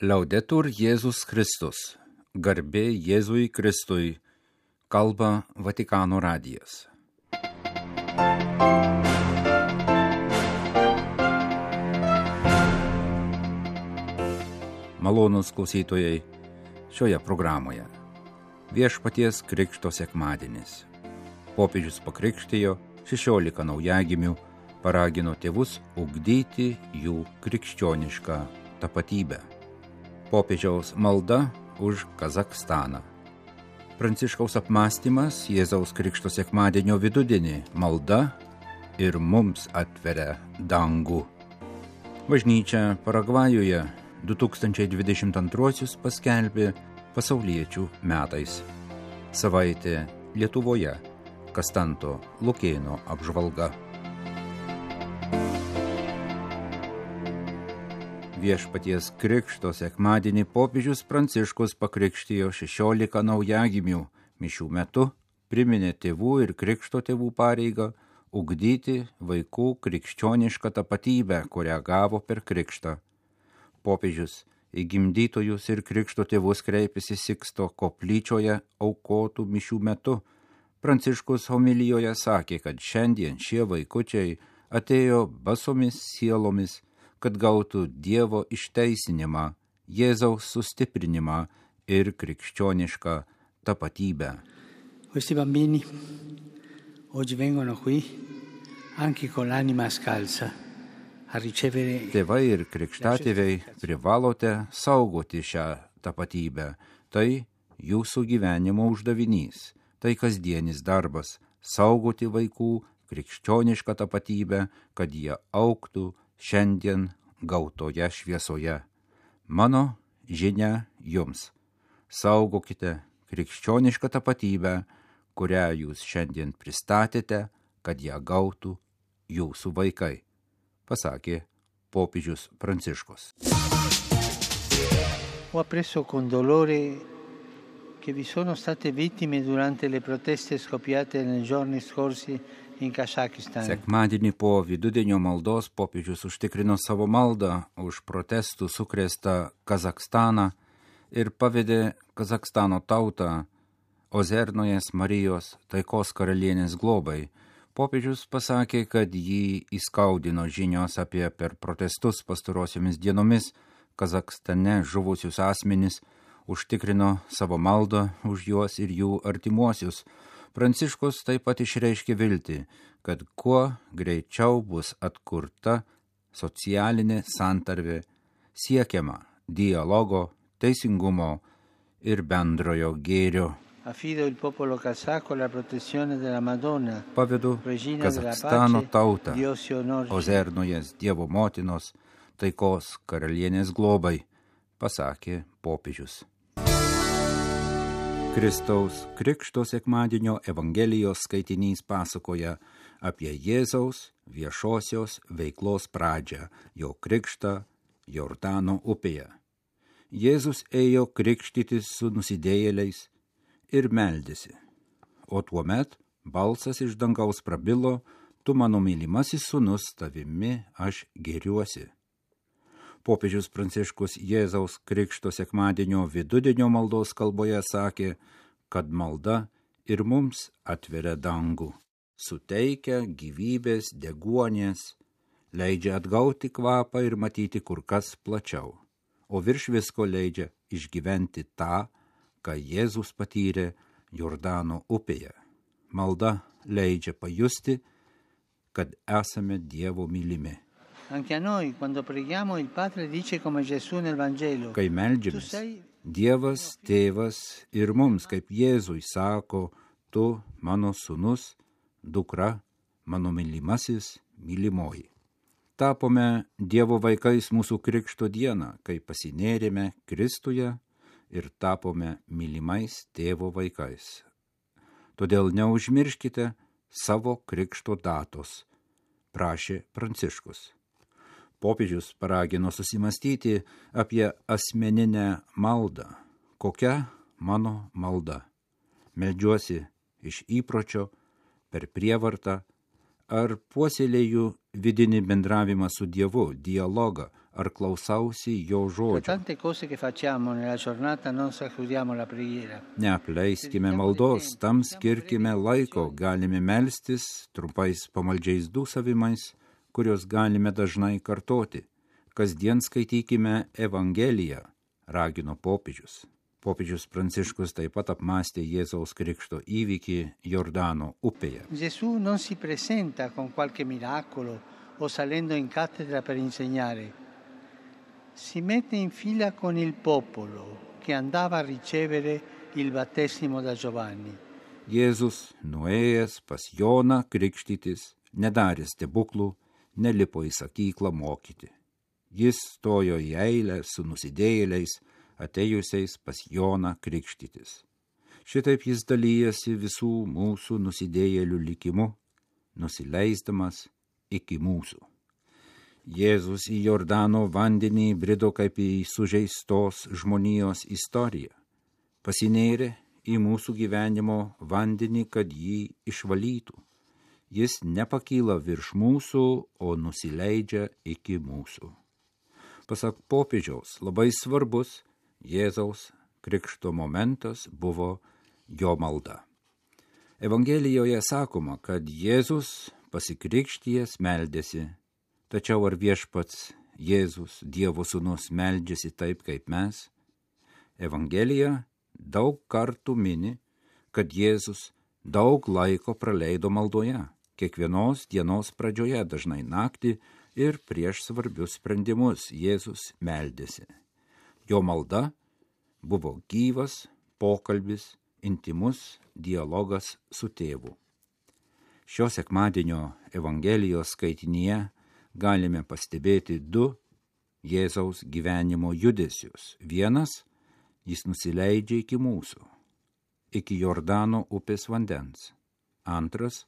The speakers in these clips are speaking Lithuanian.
Laudetur Jėzus Kristus, garbė Jėzui Kristui, kalba Vatikano radijas. Malonūs klausytojai, šioje programoje Viešpaties Krikšto sekmadienis. Popiežius pakrikštijo 16 naujagimių, paragino tėvus ugdyti jų krikščionišką tapatybę. Popiežiaus malda už Kazachstaną. Pranciškaus apmąstymas Jėzaus Krikšto sekmadienio vidudienį, malda ir mums atveria dangų. Bažnyčia Paragvajuje 2022 paskelbė pasauliečių metais. Savaitė Lietuvoje, Kastanto Lukėno apžvalga. Viešpaties Krikšto sekmadienį popiežius Pranciškus pakrikštijo 16 naujagimių. Mišių metu priminė tėvų ir krikšto tėvų pareigą ugdyti vaikų krikščionišką tapatybę, kurią gavo per krikštą. Popiežius į gimdytojus ir krikšto tėvus kreipėsi Siksto koplyčioje aukotų mišių metu. Pranciškus homilijoje sakė, kad šiandien šie vaikučiai atėjo basomis sielomis, kad gautų Dievo išteisinimą, Jėzaus sustiprinimą ir krikščionišką tapatybę. Questi bambini oggi vengono qui anche con l'anima scalza a ricevere. Tėvai ir krikštatėviai privalote saugoti šią tapatybę. Tai jūsų gyvenimo uždavinys. Tai kasdienis darbas – saugoti vaikų krikščionišką tapatybę, kad jie augtų šiandien gautoje šviesoje. Mano žinia jums. Saugokite krikščionišką tapatybę, kurią jūs šiandien pristatėte, kad ją gautų jūsų vaikai, pasakė popiežius Pranciškus. Ho appreso con dolore che vi sono state vittime durante le proteste scoppiate nei giorni scorsi in Kazakistan. Sekmadienį po vidudienio maldos popiežius užtikrino savo maldą už protestų sukrėstą Kazakstaną ir pavedė Kazakstano tautą Ozernojas Marijos taikos karalienės globai. Popiežius pasakė, kad jį įskaudino žinios apie per protestus pastarosiomis dienomis Kazakstane žuvusius asmenis, užtikrino savo maldą už juos ir jų artimuosius. Pranciškus taip pat išreiškė viltį, kad kuo greičiau bus atkurta socialinė santarvė, siekiama dialogo, teisingumo ir bendrojo gėrio. Affido il popolo kazako alla protezione della Madonna. Pavedu Kazakstano tautą Ozernojas Dievo motinos taikos karalienės globai, pasakė popiežius. Kristaus Krikšto sekmadienio Evangelijos skaitinys pasakoja apie Jėzaus viešosios veiklos pradžią, jo krikštą Jordano upėje. Jėzus ėjo krikštytis su nusidėjėliais ir meldėsi, o tuomet balsas iš dangaus prabilo: tu mano mylimasis sūnus, tavimi aš gėriuosi. Popiežius Pranciškus Jėzaus Krikšto sekmadienio vidudienio maldos kalboje sakė, kad malda ir mums atveria dangų, suteikia gyvybės deguonies, leidžia atgauti kvapą ir matyti kur kas plačiau, o virš visko leidžia išgyventi tą, ką Jėzus patyrė Jordano upėje. Malda leidžia pajusti, kad esame Dievo mylimi. Anche a noi, quando preghiamo, il Padre dice come Gesù nel Vangelo. Kai meldžiamės, Dievas, Tėvas ir mums, kaip Jėzui, sako: tu mano sūnus, dukra, mano mylimasis, mylimoji. Tapome Dievo vaikais mūsų krikšto dieną, kai pasinėrėme Kristuje ir tapome mylimais Tėvo vaikais. Todėl neužmirškite savo krikšto datos, prašė Pranciškus. Popiežius paragino susimastyti apie asmeninę maldą. Kokia mano malda? Meldžiuosi iš įpročio, per prievartą, ar puoselėju vidinį bendravimą su Dievu, dialogą, ar klausausi jo Per žodžio. tante cose che facciamo nella giornata non sacrifichiamo la preghiera. Neapleiskime maldos, tam skirkime laiko, galime melstis trumpais pamaldžiais dūsavimais, kurios galime dažnai kartoti. Kasdien skaitykime Evangeliją, ragino popiežius. Popiežius Pranciškus taip pat apmąstė Jėzaus Krikšto įvykį Jordano upėje. Gesù non si presenta con qualche miracolo o salendo in cattedra per insegnare. Si mette in fila con il popolo che andava a ricevere il battesimo da Giovanni. Jėzus, nuėjęs pas Joną krikštytis, nedarė stebuklų, nelipo į sakyklą mokyti. Jis stojo į eilę su nusidėjėliais, atėjusiais pas Joną krikštytis. Šitaip jis dalyjasi visų mūsų nusidėjėlių likimu, nusileisdamas iki mūsų. Jėzus į Jordano vandenį brido kaip į sužeistos žmonijos istoriją. Pasinėrė į mūsų gyvenimo vandenį, kad jį išvalytų. Jis nepakyla virš mūsų, o nusileidžia iki mūsų. Pasak popiežiaus, labai svarbus Jėzaus krikšto momentas buvo jo malda. Evangelijoje sakoma, kad Jėzus pasikrikštijęs meldėsi, tačiau ar viešpats Jėzus, Dievo sūnus, meldžiasi taip kaip mes? Evangelija daug kartų mini, kad Jėzus daug laiko praleido maldoje, kiekvienos dienos pradžioje, dažnai naktį ir prieš svarbius sprendimus Jėzus meldėsi. Jo malda buvo gyvas pokalbis, intimus dialogas su tėvu. Šio sekmadienio Evangelijos skaitinyje galime pastebėti du Jėzaus gyvenimo judesius. Vienas, jis nusileidžia iki mūsų, iki Jordano upės vandens. Antras,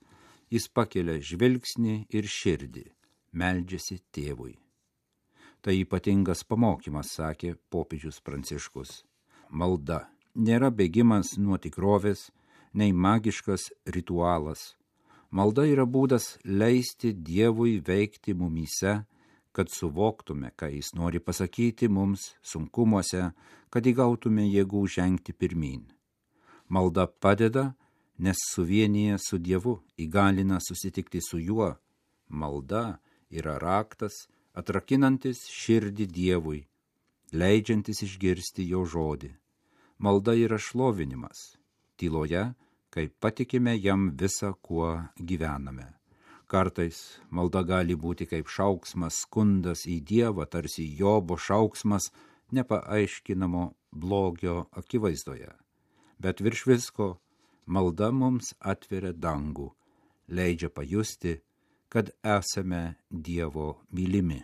jis pakelia žvilgsnį ir širdį, meldžiasi tėvui. Tai ypatingas pamokymas, sakė popiežius Pranciškus. Malda nėra bėgimas nuo tikrovės, nei magiškas ritualas. Malda yra būdas leisti Dievui veikti mumyse, kad suvoktume, ką jis nori pasakyti mums sunkumuose, kad įgautume jėgų žengti pirmyn. Malda padeda, nes suvienyje su Dievu, įgalina susitikti su juo. Malda yra raktas, atrakinantis širdį Dievui, leidžiantis išgirsti jo žodį. Malda yra šlovinimas, tyloje, kai patikime jam visą, kuo gyvename. Kartais malda gali būti kaip šauksmas, skundas į Dievą, tarsi Jobo šauksmas nepaaiškinamo blogio akivaizdoje. Bet virš visko malda mums atveria dangų, leidžia pajusti, kad esame Dievo mylimi.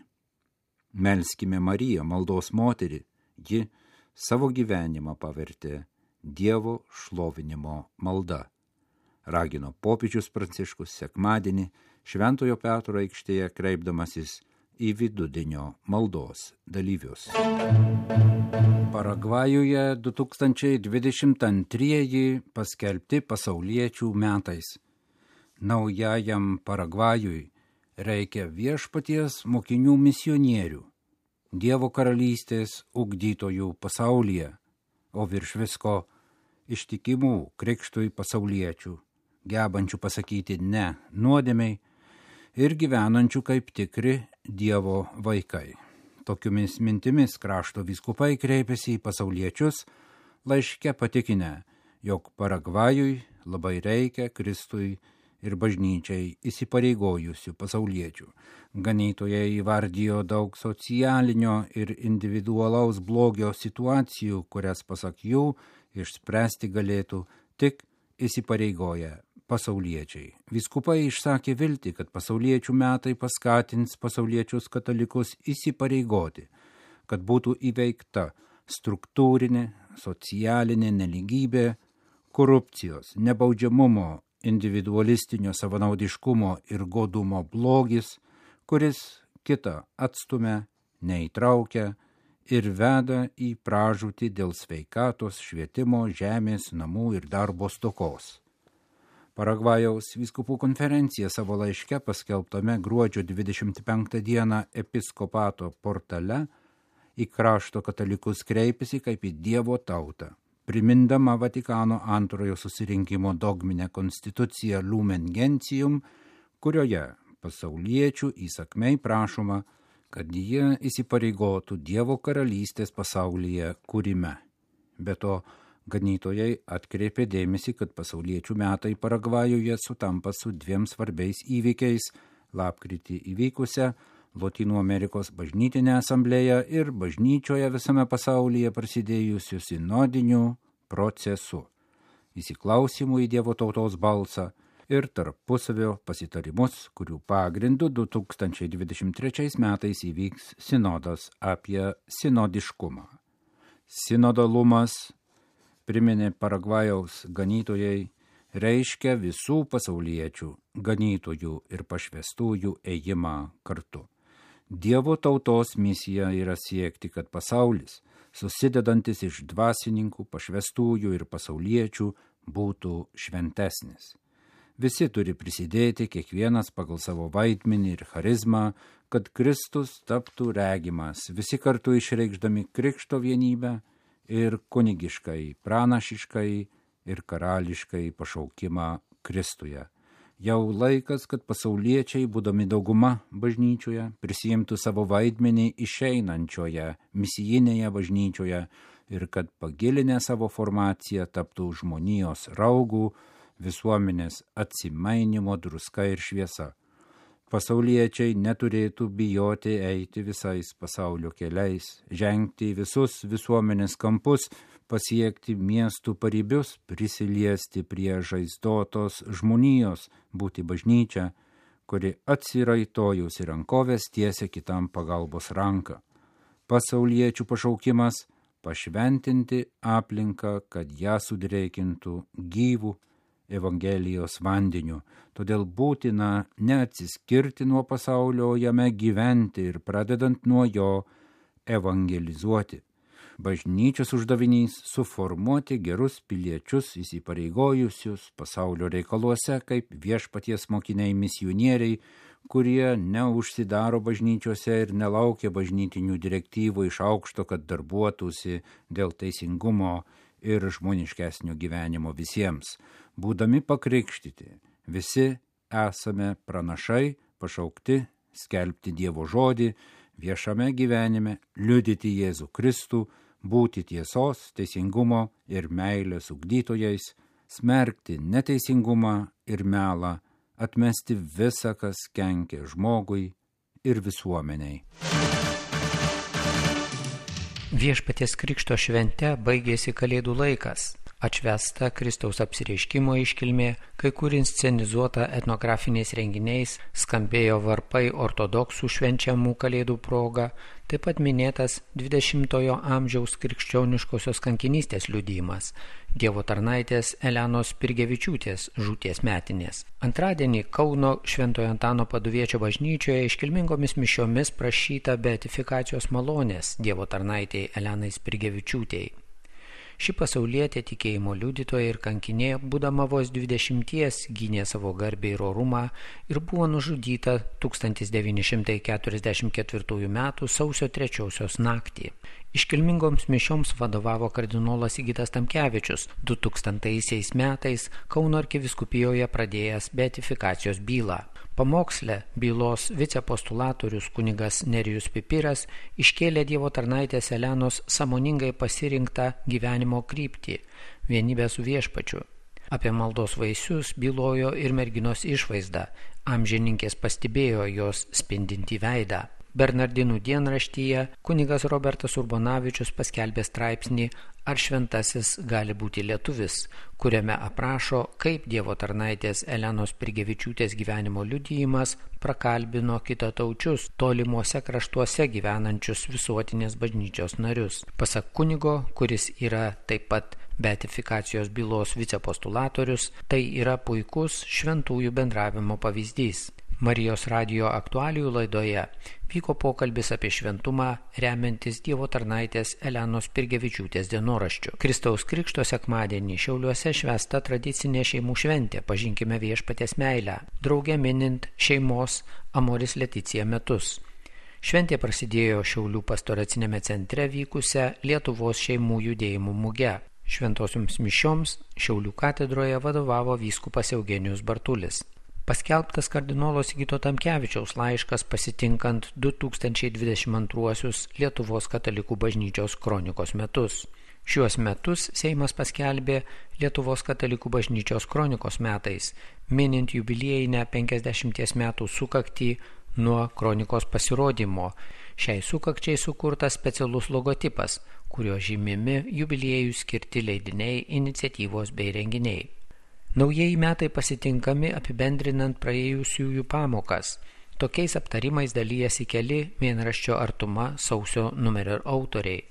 Melskime Mariją, maldos moterį, ji savo gyvenimą pavertė Dievo šlovinimo malda. Ragino popiežius Pranciškus sekmadienį Šventojo Petro aikštėje kreipdamasis į vidudienio maldos dalyvius. Paragvajuje 2022 paskelbti pasauliečių metais. Naujajam Paragvajui reikia viešpaties mokinių misionierių, Dievo karalystės ugdytojų pasaulyje, o virš visko ištikimų krikštui pasauliečių, gebančių pasakyti ne nuodėmei ir gyvenančių kaip tikri Dievo vaikai. Tokiomis mintimis krašto vyskupai kreipėsi į pasauliečius, laiške patikinę, jog Paragvajui labai reikia Kristui ir bažnyčiai įsipareigojusių pasauliečių. Ganytojai įvardijo daug socialinio ir individualaus blogio situacijų, kurias pasak jų išspręsti galėtų tik įsipareigoję pasauliečiai. Vyskupai išsakė viltį, kad pasauliečių metai paskatins pasauliečius katalikus įsipareigoti, kad būtų įveikta struktūrinė, socialinė nelygybė, korupcijos, nebaudžiamumo, individualistinio savanaudiškumo ir godumo blogis, kuris kitą atstumia, neįtraukia ir veda į pražūtį dėl sveikatos, švietimo, žemės, namų ir darbo stokos. Paragvajaus vyskupų konferencija savo laiške paskelbtame gruodžio 25 dieną episkopato portale į krašto katalikus kreipėsi kaip į Dievo tautą, primindama Vatikano antrojo susirinkimo dogminę konstituciją Lumen Gentium, kurioje pasauliečių įsakmiai prašoma, kad jie įsipareigotų Dievo karalystės pasaulyje kūrime. Be to, ganytojai atkreipė dėmesį, kad pasauliečių metai Paragvajuje sutampa su dviem svarbiais įvykiais – lapkritį įvykusią Lotynų Amerikos bažnytinę asamblėją ir bažnyčioje visame pasaulyje prasidėjusiu sinodiniu procesu, įsiklausimu į Dievo tautos balsą ir tarpusavio pasitarimus, kurių pagrindų 2023 metais įvyks sinodas apie sinodiškumą. Sinodalumas, priminė Paragvajaus ganytojai, reiškia visų pasauliečių, ganytojų ir pašvestųjų ėjimą kartu. Dievo tautos misija yra siekti, kad pasaulis, susidedantis iš dvasininkų, pašvestųjų ir pasauliečių, būtų šventesnis. Visi turi prisidėti, kiekvienas pagal savo vaidmenį ir charizmą, kad Kristus taptų regimas, visi kartu išreikšdami krikšto vienybę ir kunigiškai, pranašiškai ir karališkai pašaukimą Kristuje. Jau laikas, kad pasauliečiai, būdami dauguma bažnyčioje, prisijimtų savo vaidmenį išeinančioje, misijinėje bažnyčioje ir kad pagilinę savo formaciją taptų žmonijos raugų, visuomenės atsimainimo druska ir šviesa. Pasauliečiai neturėtų bijoti eiti visais pasaulio keliais, žengti visus visuomenės kampus, pasiekti miestų paribius, prisiliesti prie žaizdotos žmonijos, būti bažnyčia, kuri atsiraitojus į rankovės tiesia kitam pagalbos ranką. Pasauliečių pašaukimas – pašventinti aplinką, kad ją sudrėkintų gyvų Evangelijos vandeniu, todėl būtina neatsiskirti nuo pasaulio, jame gyventi ir pradedant nuo jo evangelizuoti. Bažnyčios uždavinys – suformuoti gerus piliečius įsipareigojusius pasaulio reikaluose kaip viešpaties mokiniai misionieriai, kurie neužsidaro bažnyčiose ir nelaukia bažnytinių direktyvų iš aukšto, kad darbuotųsi dėl teisingumo ir žmoniškesnio gyvenimo visiems. Būdami pakrikštyti, visi esame pranašai, pašaukti skelbti Dievo žodį, viešame gyvenime liudyti Jėzų Kristų, būti tiesos, teisingumo ir meilės ugdytojais, smerkti neteisingumą ir melą, atmesti visą, kas kenkia žmogui ir visuomeniai. Viešpaties Krikšto švente baigėsi Kalėdų laikas. Atšvęsta Kristaus apsireiškimo iškilmė, kai kur inscenizuota etnografiniais renginiais, skambėjo varpai ortodoksų švenčiamų Kalėdų proga, taip pat minėtas 20-ojo amžiaus krikščioniškosios kankinystės liudijimas, Dievo tarnaitės Elenos Spirgevičiūtės žūties metinės. Antradienį Kauno Šventojo Antano Paduviečio bažnyčioje iškilmingomis mišiomis prašyta beatifikacijos malonės Dievo tarnaitei Elenai Spirgevičiūtei. Ši pasaulietė tikėjimo liudytoja ir kankinė, būdama vos 20, gynė savo garbę ir orumą ir buvo nužudyta 1944 m. sausio 3 naktį. Iškilmingoms mišioms vadovavo kardinolas Sigitas Tamkevičius, 2000 metais Kauno arkivyskupijoje pradėjęs beatifikacijos bylą. Pamoksle bylos vicepostulatorius kunigas Nerijus Pipiras iškėlė Dievo tarnaitės Elenos sąmoningai pasirinktą gyvenimo kryptį – vienybę su viešpačiu. Apie maldos vaisius bylojo ir merginos išvaizda, amžininkės pastebėjo jos spindintį veidą. Bernardinų dienraštyje kunigas Robertas Urbonavičius paskelbė straipsnį Ar šventasis gali būti lietuvis, kuriame aprašo, kaip Dievo tarnaitės Elenos Spirgevičiūtės gyvenimo liudijimas prakalbino kitataučius tolimuose kraštuose gyvenančius visuotinės bažnyčios narius. Pasak kunigo, kuris yra taip pat beatifikacijos bylos vicepostulatorius, tai yra puikus šventųjų bendravimo pavyzdys. Marijos radijo aktualijų laidoje vyko pokalbis apie šventumą remiantis Dievo tarnaitės Elenos Pirgevičiūtės dienoraščiu. Kristaus Krikšto sekmadienį Šiauliuose švęsta tradicinė šeimų šventė Pažinkime viešpaties meilę, drauge minint šeimos Amoris Leticija metus. Šventė prasidėjo Šiaulių pastoracinėme centre vykusią Lietuvos šeimų judėjimų muge. Šventosioms mišioms Šiaulių katedroje vadovavo vyskupas Eugenijus Bartulis. Paskelbtas kardinolo Sigito Tamkevičiaus laiškas pasitinkant 2022 Lietuvos katalikų bažnyčios kronikos metus. Šiuos metus Seimas paskelbė Lietuvos katalikų bažnyčios kronikos metais, minint jubiliejinę 50 metų sukaktį nuo kronikos pasirodymo. Šiai sukakčiai sukurtas specialus logotipas, kurio žymimi jubiliejų skirti leidiniai, iniciatyvos bei renginiai. Naujieji metai pasitinkami apibendrinant praėjusiųjų pamokas. Tokiais aptarimais dalyjasi keli mėnraščio Artuma sausio numerio autoriai.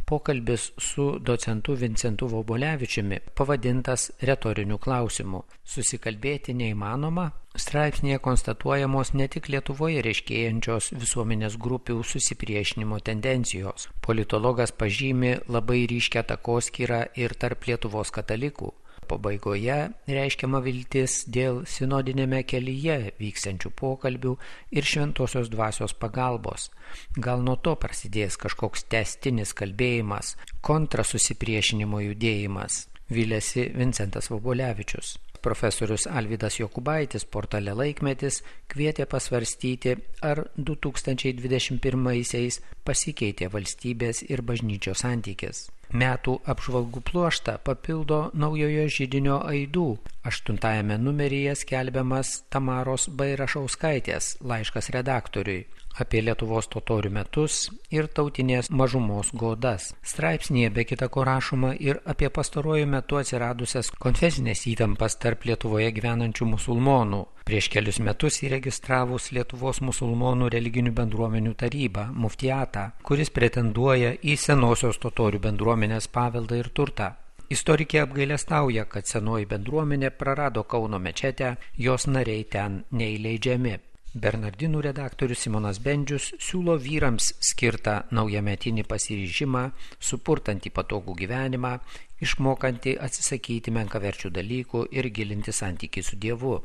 Pokalbis su docentu Vincentu Vobolevičiumi pavadintas retoriniu klausimu. Susikalbėti neįmanoma? Straipsnėje konstatuojamos ne tik Lietuvoje reiškėjančios visuomenės grupių susipriešinimo tendencijos. Politologas pažymi labai ryškią takoskyrą ir tarp Lietuvos katalikų. Pabaigoje reiškiama viltis dėl sinodinėme kelyje vyksiančių pokalbių ir šventosios dvasios pagalbos. Gal nuo to prasidės kažkoks tęstinis kalbėjimas, kontrasusipriešinimo judėjimas, vylėsi Vincentas Vobolevičius. Profesorius Alvydas Jokubaitis portale Laikmetis kvietė pasvarstyti, ar 2021-aisiais pasikeitė valstybės ir bažnyčios santykis. Metų apžvalgų pluoštą papildo naujojo židinio aidų. 8 numeryje skelbiamas Tamaros Bairašauskaitės laiškas redaktoriui apie Lietuvos totorių metus ir tautinės mažumos godas. Straipsnėje be kita ko rašoma ir apie pastaruoju metu atsiradusias konfesinės įtampas tarp Lietuvoje gyvenančių musulmonų. Prieš kelius metus įregistravus Lietuvos musulmonų religinių bendruomenių tarybą, Muftiatą, kuris pretenduoja į senosios totorių bendruomenės paveldą ir turtą. Istorikė apgailestauja, kad senoji bendruomenė prarado Kauno mečetę, jos nariai ten neįleidžiami. Bernardinų redaktorius Simonas Bendžius siūlo vyrams skirtą naujametinį pasiryžimą, supurtantį patogų gyvenimą, išmokantį atsisakyti menkaverčių dalykų ir gilinti santykį su Dievu.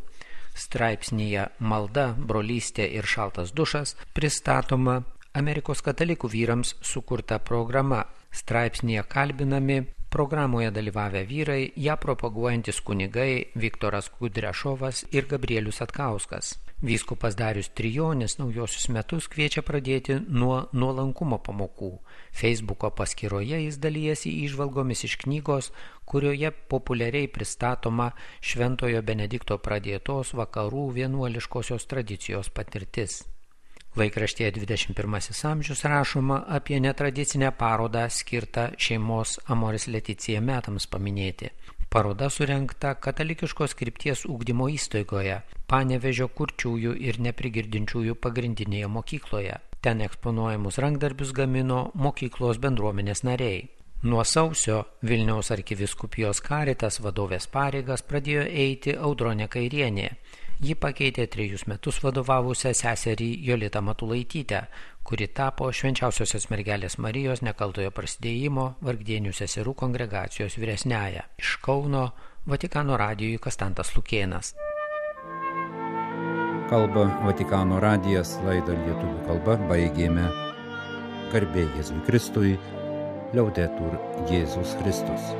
Straipsnyje Malda, brolystė ir šaltas dušas pristatoma Amerikos katalikų vyrams sukurta programa. Straipsnyje kalbinami programoje dalyvavę vyrai, ją propaguojantis kunigai Viktoras Kudrešovas ir Gabrielius Atkauskas. Vyskupas Darius Trijonis naujosius metus kviečia pradėti nuo nuolankumo pamokų. Facebooko paskyroje jis dalyjasi įžvalgomis iš knygos, kurioje populiariai pristatoma Šventojo Benedikto pradėtos vakarų vienuoliškosios tradicijos patirtis. Laikraštyje 21 amžius rašoma apie netradicinę parodą skirtą šeimos Amoris Leticija metams paminėti. Paroda surengta katalikiškos krypties ugdymo įstaigoje, Panevėžio kurčiųjų ir neprigirdinčiųjų pagrindinėje mokykloje. Ten eksponuojamus rankdarbius gamino mokyklos bendruomenės nariai. Nuo sausio Vilniaus arkivyskupijos Karitas vadovės pareigas pradėjo eiti Audronė Kairienė. Ji pakeitė 3 metus vadovavusią seserį Jolitą Matulaitytę, kuri tapo Švenčiausiosios mergelės Marijos nekaltojo prasidėjimo Vargdienių seserų kongregacijos vyresniąja. Iš Kauno Vatikano radijui Kastantas Lukėnas. Kalba Vatikano radijas, laidą lietuvių kalba baigėme. Garbė Jėzui Kristui, Liaudetur Jėzus Kristus.